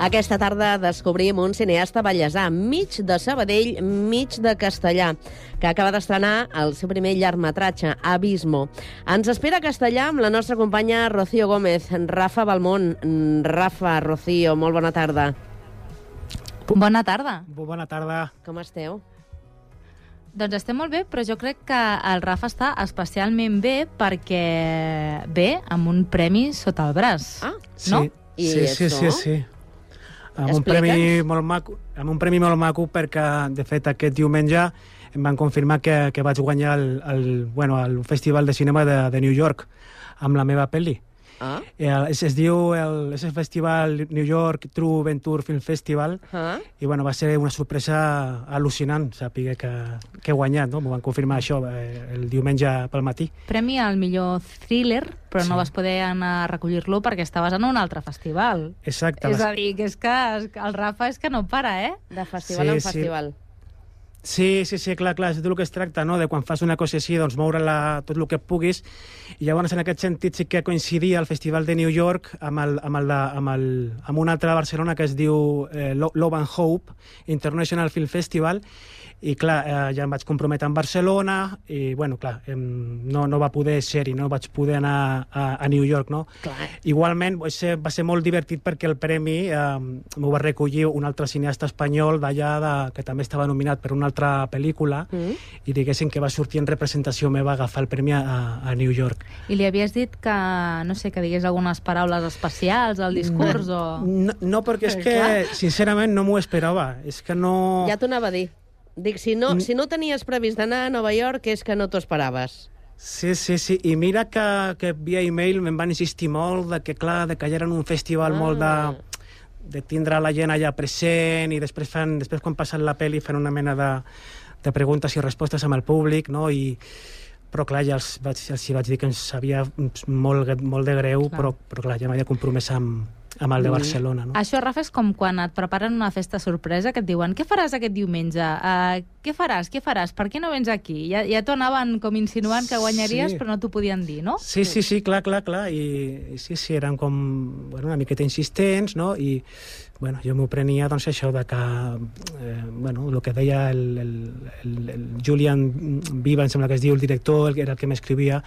Aquesta tarda descobrim un cineasta ballesà, mig de Sabadell, mig de Castellà, que acaba d'estrenar el seu primer llargmetratge, Abismo. Ens espera a Castellà amb la nostra companya Rocío Gómez. Rafa Balmón. Rafa, Rocío, molt bona tarda. Bona tarda. Bona tarda. Com esteu? Doncs estem molt bé, però jo crec que el Rafa està especialment bé perquè ve amb un premi sota el braç. Ah, no? Sí. Amb un premi molt maco perquè, de fet, aquest diumenge em van confirmar que vaig guanyar el Festival de Cinema de New York amb la meva pel·li. Ah. És el festival New York True Venture Film Festival i va ser una sorpresa al·lucinant saber que he guanyat, no? M'ho van confirmar això el diumenge pel matí. Premi al millor thriller, però no vas poder anar a recollir-lo perquè estaves en un altre festival. Exacte. És a dir, que és que el Rafa és que no para, eh? De festival en festival. Sí, clar, és tot el que es tracta, no? De quan fas una cosa així, doncs moure-la tot el que puguis. I llavors, en aquest sentit, sí que coincidia el Festival de New York amb un altre de Barcelona que es diu Love and Hope International Film Festival. I clar, ja em vaig comprometre amb Barcelona i, no va poder ser-hi, no vaig poder anar a New York, no? Clar. Igualment, va ser molt divertit perquè el premi m'ho va recollir un altre cineasta espanyol d'allà que també estava nominat per una altra pel·lícula i diguéssim que va sortir en representació meva a agafar el premi a New York. I li havies dit que, no sé, que digués algunes paraules especials al discurs o... No, perquè és que, sincerament, no m'ho esperava. És que no... Ja t'ho anava a dir. Dic, si no tenies previst d'anar a Nova York, és que no t'ho esperaves. Sí. I mira que via e-mail me'n van insistir molt que ja era un festival molt de tindre la gent allà present i després quan passen la pel·li fan una mena de preguntes i respostes amb el públic, no? Però clar, ja els vaig dir que em sabia molt de greu, però clar, ja m'havia compromès amb el de Barcelona, no? Això, Rafa, és com quan et preparen una festa sorpresa que et diuen què faràs aquest diumenge? Què faràs? Per què no vens aquí? Ja t'ho anaven com insinuant que guanyaries, però no t'ho podien dir, no? Sí, clar. I sí, eren com una miqueta insistents, no? I jo m'ho prenia, doncs, això de que el que deia el Julian Viva, em sembla que es diu el director, era el que m'escrivia,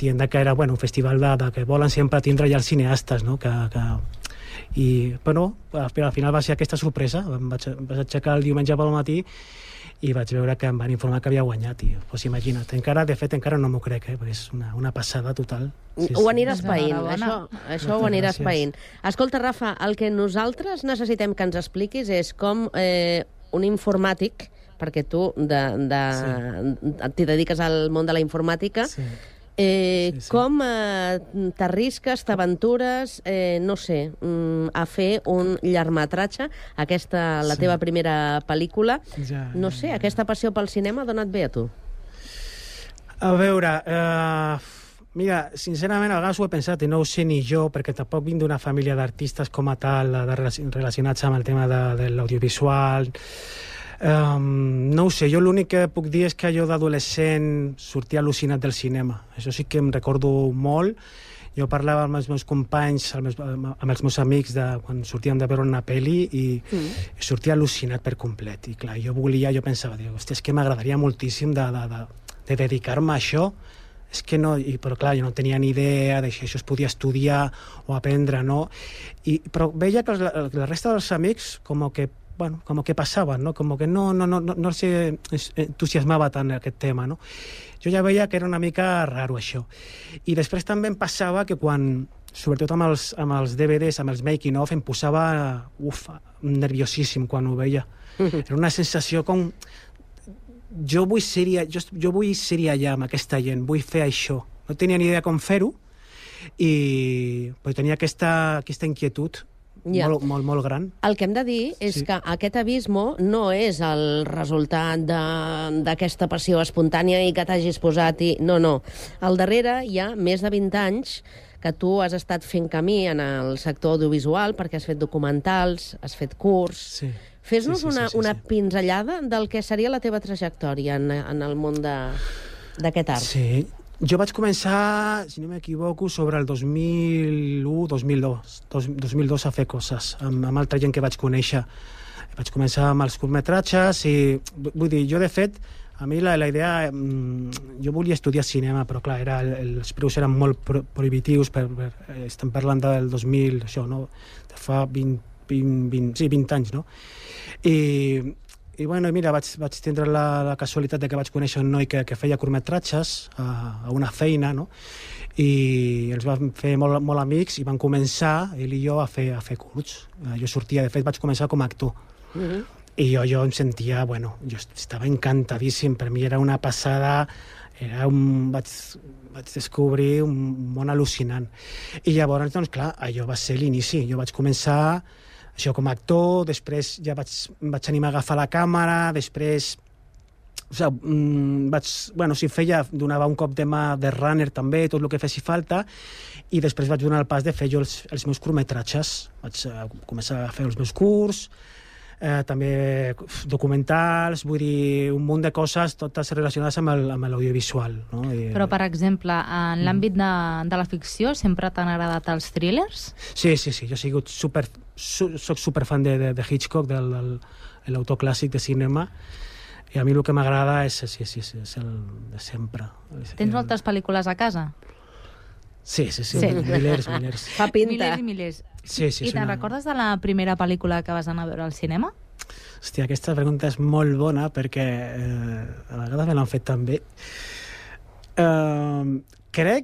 dient que era un festival que volen sempre tindre ja els cineastes, no? Però al final va ser aquesta sorpresa. Em vaig aixecar el diumenge pel matí i vaig veure que em van informar que havia guanyat. Doncs imagina't, de fet encara no m'ho crec, perquè és una passada total. Ho aniràs païnt, això ho aniràs païnt. Escolta, Rafa, el que nosaltres necessitem que ens expliquis és com un informàtic, perquè tu t'hi dediques al món de la informàtica, com t'arrisques, t'aventures, a fer un llargmetratge, la teva primera pel·lícula. No sé, aquesta passió pel cinema ha donat bé a tu? A veure, mira, sincerament a vegades ho he pensat i no ho sé ni jo, perquè tampoc vinc d'una família d'artistes com a tal, relacionats amb el tema de l'audiovisual. No ho sé, jo l'únic que puc dir és que jo d'adolescent sortia al·lucinat del cinema. Això sí que em recordo molt. Jo parlava amb els meus companys, amb els meus amics, quan sortíem de veure una pel·li i sortia al·lucinat per complet. I clar, jo pensava, hòstia, és que m'agradaria moltíssim de dedicar-me a això. És que no, però clar, jo no tenia ni idea de si això es podia estudiar o aprendre, no? Però veia que la resta dels amics com que passaven, no? Com que no s'entusiasmava tant aquest tema, no? Jo ja veia que era una mica raro, això. I després també em passava que sobretot amb els DVDs, amb els making-of, em posava nerviosíssim quan ho veia. Era una sensació com... Jo vull ser allà amb aquesta gent, vull fer això. No tenia ni idea com fer-ho, però tenia aquesta inquietud molt gran. El que hem de dir és que aquest Abismo no és el resultat d'aquesta passió espontània i que t'hagis posat No. Al darrere hi ha més de 20 anys que tu has estat fent camí en el sector audiovisual perquè has fet documentals, has fet curs... Fes-nos una pinzellada del que seria la teva trajectòria en el món d'aquest art. Sí, Jo vaig començar, si no m'equivoco, sobre el 2002 a fer coses, amb altra gent que vaig conèixer. Vaig començar amb els curtmetratges i, vull dir, jo de fet, a mi la idea... Jo volia estudiar cinema, però clar, els preus eren molt prohibitius, estem parlant del 2000, això, no? De fa 20 anys, no? I bueno, mira, vaig tindre la casualitat de que vaig conèixer un noi que feia curtmetratges a una feina, no? I els vam fer molt amics i van començar, ell i jo, a fer curts. Jo sortia, de fet, vaig començar com a actor. I jo em sentia, bueno, jo estava encantadíssim, per mi era una passada, vaig descobrir un món al·lucinant. I llavors, doncs, clar, allò va ser l'inici. Jo vaig començar això com a actor, després ja vaig animar a agafar la càmera, després donava un cop de mà de runner també, tot el que fessi falta, i després vaig donar el pas de fer jo els meus curtmetratges. Vaig començar a fer els meus curts, també documentals, vull dir, un munt de coses, totes relacionades amb l'audiovisual. No? Però, per exemple, en l'àmbit de la ficció, sempre t'han agradat els thrillers? Sí, jo soc superfan de Hitchcock, de l'autor clàssic de cinema, i a mi el que m'agrada és el de sempre. Tens moltes pel·lícules a casa? Sí. Milers. Fa pinta. Milers i milers. Sí. I te'n recordes de la primera pel·lícula que vas anar a veure al cinema? Hòstia, aquesta pregunta és molt bona perquè a vegades me l'han fet també.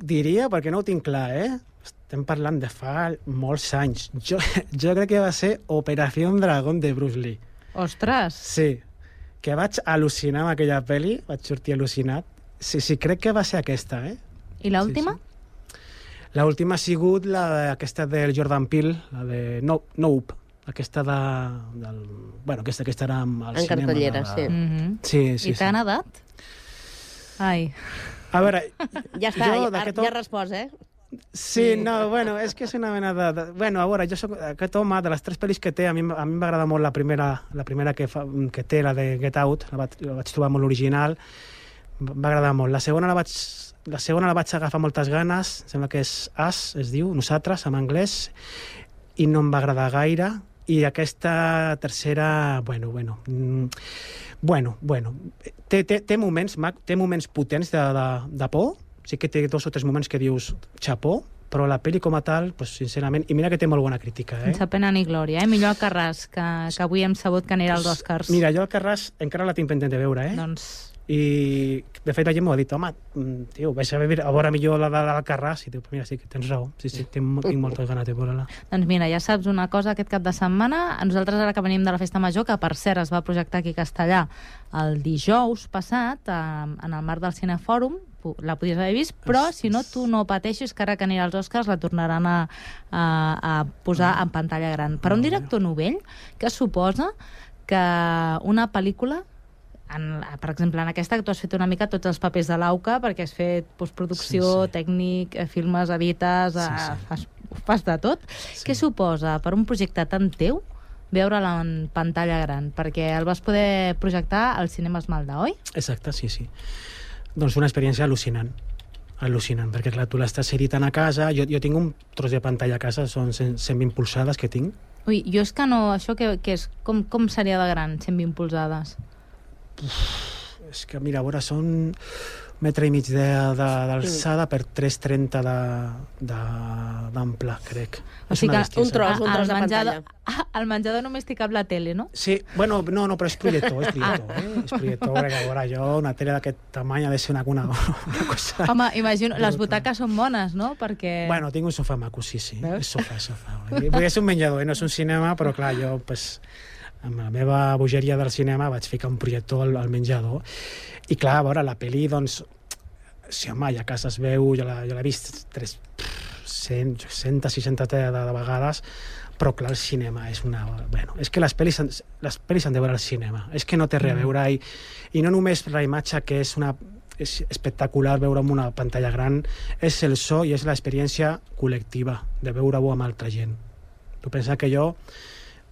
Diria, perquè no ho tinc clar, estem parlant de fa molts anys. Jo crec que va ser Operació Dragón de Bruce Lee. Ostres! Sí, que vaig al·lucinar amb aquella pel·li, vaig sortir al·lucinat. Sí, crec que va ser aquesta, I l'última? Sí. L'última ha sigut aquesta del Jordan Peele, la de Nope, aquesta aquesta era al cinema. En cartellera, sí. Sí. I t'ha agradat? Ai. A veure... Ja està, ja has respost, Sí, no, bueno, és que és una mena de... Bueno, a veure, jo soc aquest home, de les 3 pel·lis que té, a mi m'agrada molt la primera que té, la de Get Out, la vaig trobar molt original, va agradar molt. La segona la vaig agafar moltes ganes, sembla que és Us, es diu, Nosaltres, en anglès, i no em va agradar gaire, i aquesta tercera, bueno, té moments potents de por, sí que té 2 o 3 moments que dius xapó, però la pel·li com a tal, pues, sincerament, i mira que té molt bona crítica. Sense pena ni glòria, Millor Alcarràs, que avui hem sabut que anirà als Oscars. Mira, jo Alcarràs encara la tinc pendent de veure, Doncs... I, de fet, la gent m'ho ha dit, home, tio, vaig a veure millor la de l'Alcarràs, i diu, mira, sí, tens raó, sí, tinc moltes ganes de veure-la. Doncs mira, ja saps una cosa, aquest cap de setmana, nosaltres ara que venim de la Festa Major, que per cert es va projectar aquí a Castellà el dijous passat, en el marc del Cinefòrum, la podies haver vist, però si no, tu no pateixis, que ara que anirà als Oscars la tornaran a posar en pantalla gran. Per un director novell, que suposa que una pel·lícula, per exemple, en aquesta que tu has fet una mica tots els papers de l'AUCA, perquè has fet postproducció, tècnic, filmes, edites, fas de tot. Què suposa per un projecte tan teu veure-la en pantalla gran? Perquè el vas poder projectar al Cinema Esmalda, oi? Exacte, sí. Doncs una experiència al·lucinant, perquè clar, tu l'estàs editant a casa, jo tinc un tros de pantalla a casa, són 120 polzades que tinc. Ui, jo és que no, això què és? Com seria de gran, 120 polzades? És que, mira, a veure, són 1,5 metres d'alçada per 3,30 d'ample, crec. O sigui que un tros de pantalla. Al menjador només t'hi cap la tele, no? Sí, bueno, no, però és projector, és projector, perquè a veure, una tele d'aquest tamany ha de ser una cosa... Home, imagino, les butaques són bones, no? Perquè... Bueno, tinc un sofà maco, sí, és sofà. Perquè és un menjador, no és un cinema, però clar, jo, pues, amb la meva bogeria del cinema vaig ficar un projector al menjador, i clar, a veure, la pel·li, doncs, si home, ja a casa es veu, jo l'he vist 160 de vegades, però clar, el cinema és una... Bueno, és que les pel·lis han de veure al cinema, és que no té res a veure, i no només la imatge, que és espectacular veure amb una pantalla gran, és el so i és l'experiència col·lectiva de veure-ho amb altra gent. Tu pensa que jo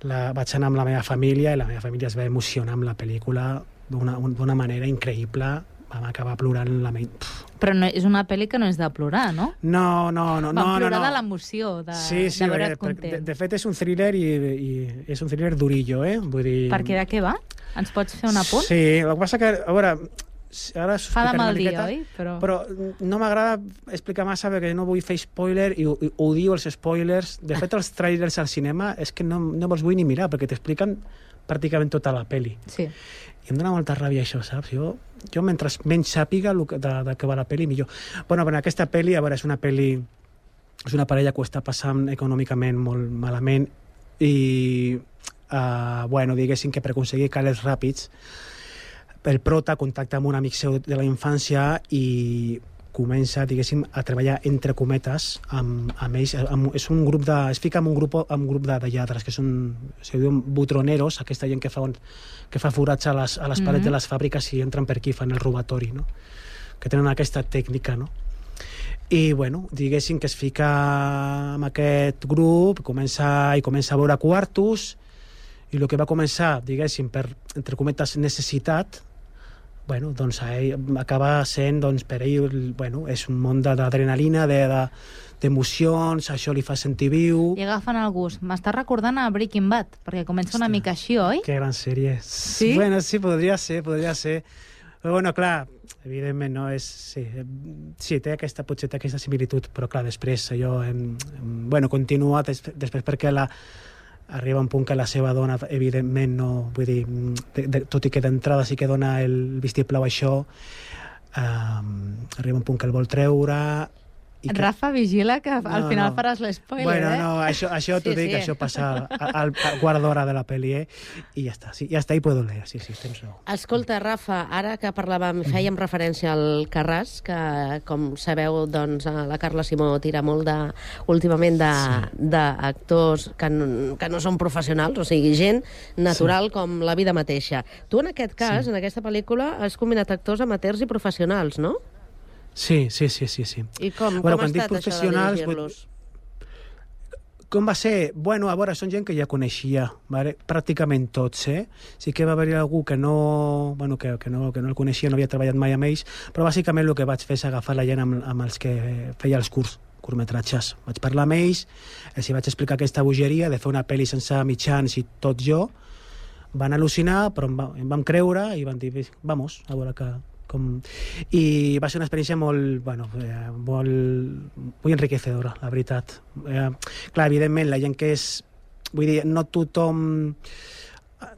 vaig anar amb la meva família i la meva família es va emocionar amb la pel·lícula d'una manera increïble, vam acabar plorant la ment. Però no, és una pel·li que no és de plorar, no? No. Vam plorar de l'emoció, de veure't content. De fet, és un thriller i és un thriller durillo, Vull dir... Perquè de què va? Ens pots fer un apunt? Sí, el que passa que, a veure, ara fa de mal dia, oi? Però no m'agrada explicar massa perquè no vull fer spoiler i odio els spoilers. De fet, els trailers al cinema és que no me'ls vull ni mirar perquè t'expliquen pràcticament tota la pel·li. Sí. I em dona molta ràbia això, saps? Jo mentre menys sàpiga de què va la pel·li, millor. Bueno, però aquesta pel·li, a veure, és una parella que ho està passant econòmicament molt malament i, diguéssim que per aconseguir calés ràpids, el prota contacta amb un amic seu de la infància i comença, diguéssim, a treballar entre cometes amb ells. Es fica en un grup de lladres que se diuen butroneros, aquesta gent que fa forats a les parets de les fàbriques i entren per aquí, fan el robatori, no? Que tenen aquesta tècnica, no? I, bueno, diguéssim que es fica en aquest grup, comença a veure quartos, i el que va començar, diguéssim, per, entre cometes, necessitat, bueno, doncs acaba sent, doncs, per ell, bueno, és un món d'adrenalina, d'emocions, això li fa sentir viu. I agafen el gust. M'està recordant a Breaking Bad, perquè comença una mica així, oi? Que gran sèrie. Sí? Bueno, sí, podria ser. Però, bueno, clar, evidentment, no és... Sí, té aquesta similitud, però, clar, després allò... Bueno, continua després perquè arriba un punt que la seva dona, evidentment, no... Vull dir, tot i que d'entrada sí que dona el vistiplau a això, arriba un punt que el vol treure... Rafa, vigila que al final faràs l'espoiler, Bueno, no, això t'ho dic, això passa al quart d'hora de la pel·li, i ja està. Sí, ja està, i puedo leer, sí, tens raó. Escolta, Rafa, ara que fèiem referència al Carràs, que, com sabeu, doncs, la Carla Simó tira molt últimament d'actors que no són professionals, o sigui, gent natural com la vida mateixa. Tu, en aquest cas, en aquesta pel·lícula, has combinat actors amateurs i professionals, no? Sí. I com ha estat això de dirigir-los? Com va ser? Bueno, a veure, són gent que ja coneixia, vale? Pràcticament tots, Sí que va haver algú que no el coneixia, no havia treballat mai amb ells, però bàsicament el que vaig fer és agafar la gent amb els que feia els curtmetratges. Vaig parlar amb ells, els vaig explicar aquesta bogeria de fer una pel·li sense mitjans i tot jo. Van al·lucinar, però em vam creure i van dir, vamos, a veure i va ser una experiència molt enriquecedora, la veritat. Clar, evidentment, la gent que és... Vull dir, no tots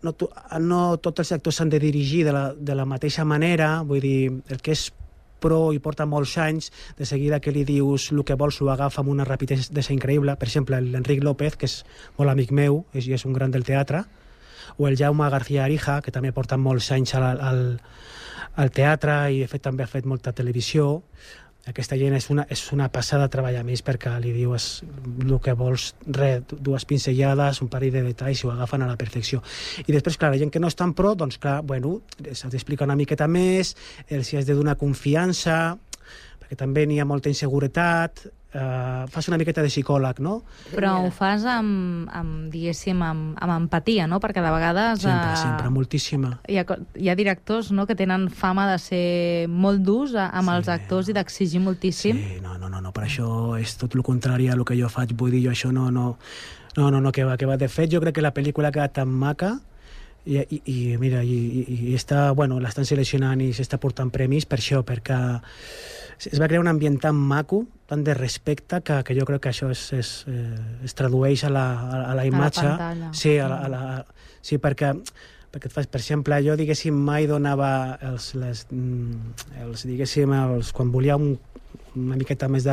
els actors s'han de dirigir de la mateixa manera. Vull dir, el que és pro i porta molts anys, de seguida que li dius el que vols ho agafa amb una rapidesa increïble. Per exemple, l'Enric López, que és molt amic meu i és un gran del teatre, o el Jaume García Arija, que també porta molts anys al teatre i de fet també ha fet molta televisió. Aquesta gent és una passada treballar més perquè li dius el que vols, dues pinzellades, un parell de detalls i ho agafen a la perfecció. I després, clar, la gent que no és tan pro, doncs clar, bueno, s'ha d'explicar una miqueta més, els has de donar confiança, perquè també n'hi ha molta inseguretat, fas una miqueta de psicòleg, no? Però ho fas diguéssim, amb empatia, no? Perquè de vegades... Sempre, moltíssima. Hi ha directors, no?, que tenen fama de ser molt durs amb els actors i d'exigir moltíssim. Sí, no, per això és tot el contrari a el que jo faig. Vull dir, jo això no, que va. De fet, jo crec que la pel·lícula ha quedat tan maca i mira, i està, bueno, l'estan seleccionant i s'està portant premis per això, perquè es va crear un ambient tan maco, tan de respecte, que jo crec que això es tradueix a la imatge. A la pantalla. Sí, perquè et fas, per exemple, jo, diguéssim, mai donava quan volia una miqueta més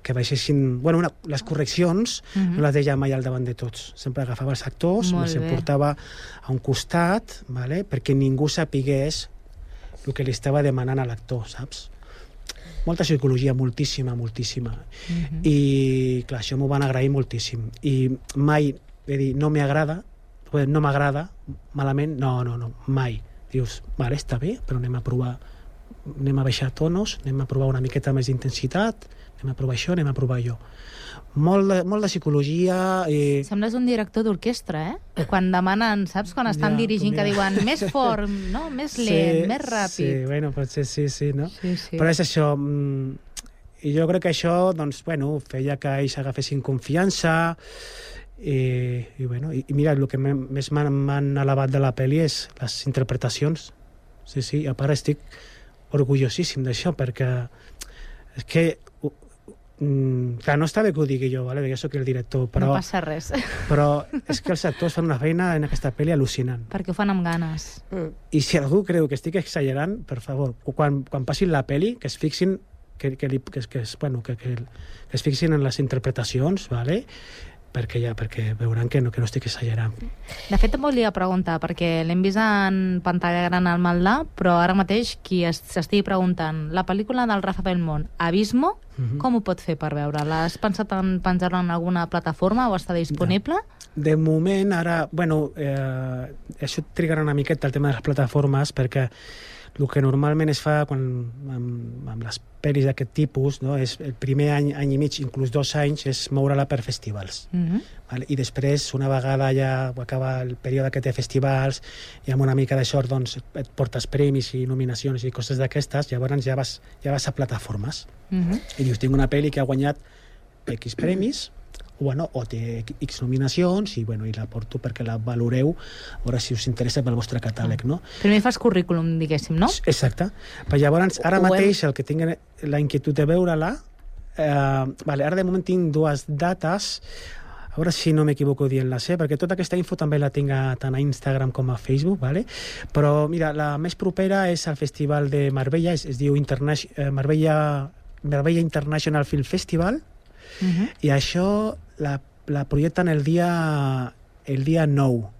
que baixessin... Bueno, les correccions no les deia mai al davant de tots. Sempre agafava els actors, els portava a un costat, vale? Perquè ningú sapigués el que li estava demanant a l'actor, saps? Molta psicologia, moltíssima. I, clar, això m'ho van agrair moltíssim. I mai, no m'agrada, malament, no, mai. Dius, vale, està bé, però anem a baixar tonos, anem a provar una miqueta més d'intensitat, anem a provar això, anem a provar allò. Molt de psicologia... Sembles un director d'orquestra, Quan demanen, saps? Quan estan dirigint, que diuen més fort, no? Més lent, més ràpid. Sí, bueno, potser sí, no? Sí. Però és això... I jo crec que això, doncs, bueno, feia que ells agafessin confiança i mira, el que més m'han alabat de la pel·li és les interpretacions. Sí, a part estic orgullosíssim d'això, perquè és que clar, no està bé que ho digui jo, vale? Jo soc el director, però... No passa res. Però és que els actors fan una feina en aquesta pel·li al·lucinant. Perquè ho fan amb ganes. I si algú creu que estic exagerant, per favor, quan passin la pel·li, que es fixin que es fixin en les interpretacions, vale? perquè veuran que no estic exagerant. De fet, em volia preguntar, perquè l'hem vist en pantalla gran al Maldà, però ara mateix qui s'estigui preguntant, la pel·lícula del Rafa Belmont, Abismo, com ho pot fer per veure-la? Has pensat en penjar-la en alguna plataforma o està disponible? De moment, ara... això trigarà una miqueta el tema de les plataformes, perquè el que normalment es fa amb les pel·lis d'aquest tipus, no? És el primer any i mig, inclús 2 anys, és moure-la per festivals. Vale? I després, una vegada ja acaba el període que té festivals i amb una mica de sort doncs, et portes premis i nominacions i coses d'aquestes, llavors ja vas a plataformes. I dius, tinc una pel·li que ha guanyat X premis, o té X nominacions i la porto perquè la valoreu, a veure si us interessa pel vostre catàleg, no? Primer fas currículum, diguéssim, no? Exacte. Però llavors, ara mateix, el que tinc la inquietud de veure-la, ara de moment tinc 2 dates, a veure si no m'equivoco dient-les, perquè tota aquesta info també la tinc tant a Instagram com a Facebook, vale? Però mira, la més propera és el Festival de Marbella, es diu Marbella International Film Festival, i això la projecten el dia 9,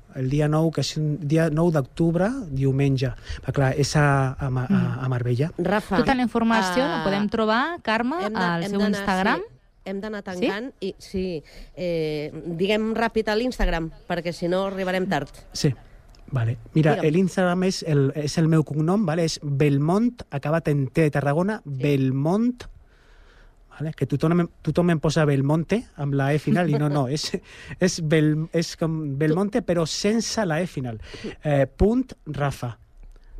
que és un dia 9 d'octubre, diumenge. Però clar, és a Marbella. Rafa, tota la informació la podem trobar, Carme, al seu Instagram. Hem d'anar tancant i diguem ràpid a l'Instagram, perquè si no arribarem tard. Sí. Vale. Mira, l'Instagram és el meu cognom, vale? És Belmont, acabat en T de Tarragona, Belmont, vale? Que tothom em posa Belmonte amb la E final, i no, és com Belmonte però sense la E final. .Rafa.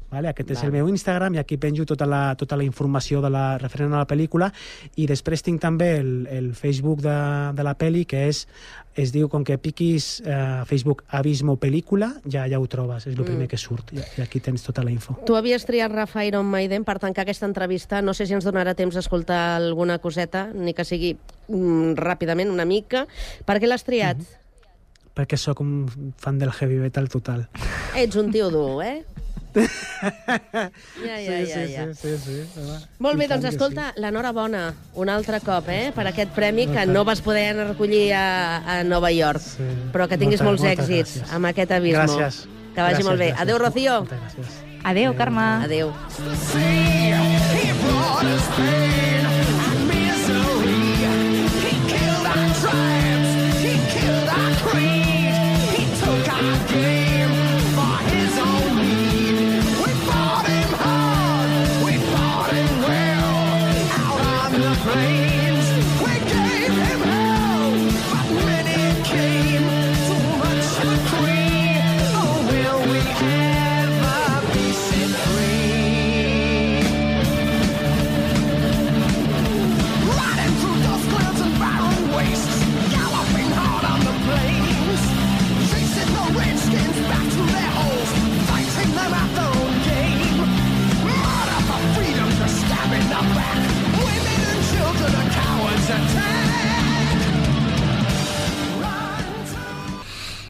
Vale? Aquest és el meu Instagram i aquí penjo tota la informació referent a la pel·lícula, i després tinc també el Facebook de la pel·li, que es diu, com que piquis Facebook Abismo Pel·lícula, ja ho trobes, és el primer que surt, i aquí tens tota la info. Tu havies triat Rafa Iron Maiden per tancar aquesta entrevista, no sé si ens donarà temps d'escoltar alguna coseta, ni que sigui ràpidament, una mica. Per què l'has triat? Perquè sóc un fan del heavy metal total. Ets un tio dur, Ja. Sí. Molt bé, doncs escolta, l'enhorabona un altre cop, per aquest premi que no vas poder anar a recollir a Nova York, però que tinguis molts èxits amb aquest Abismo. Gràcies. Que vagi molt bé. Adéu, Rocío. Adéu, Carme. Adéu.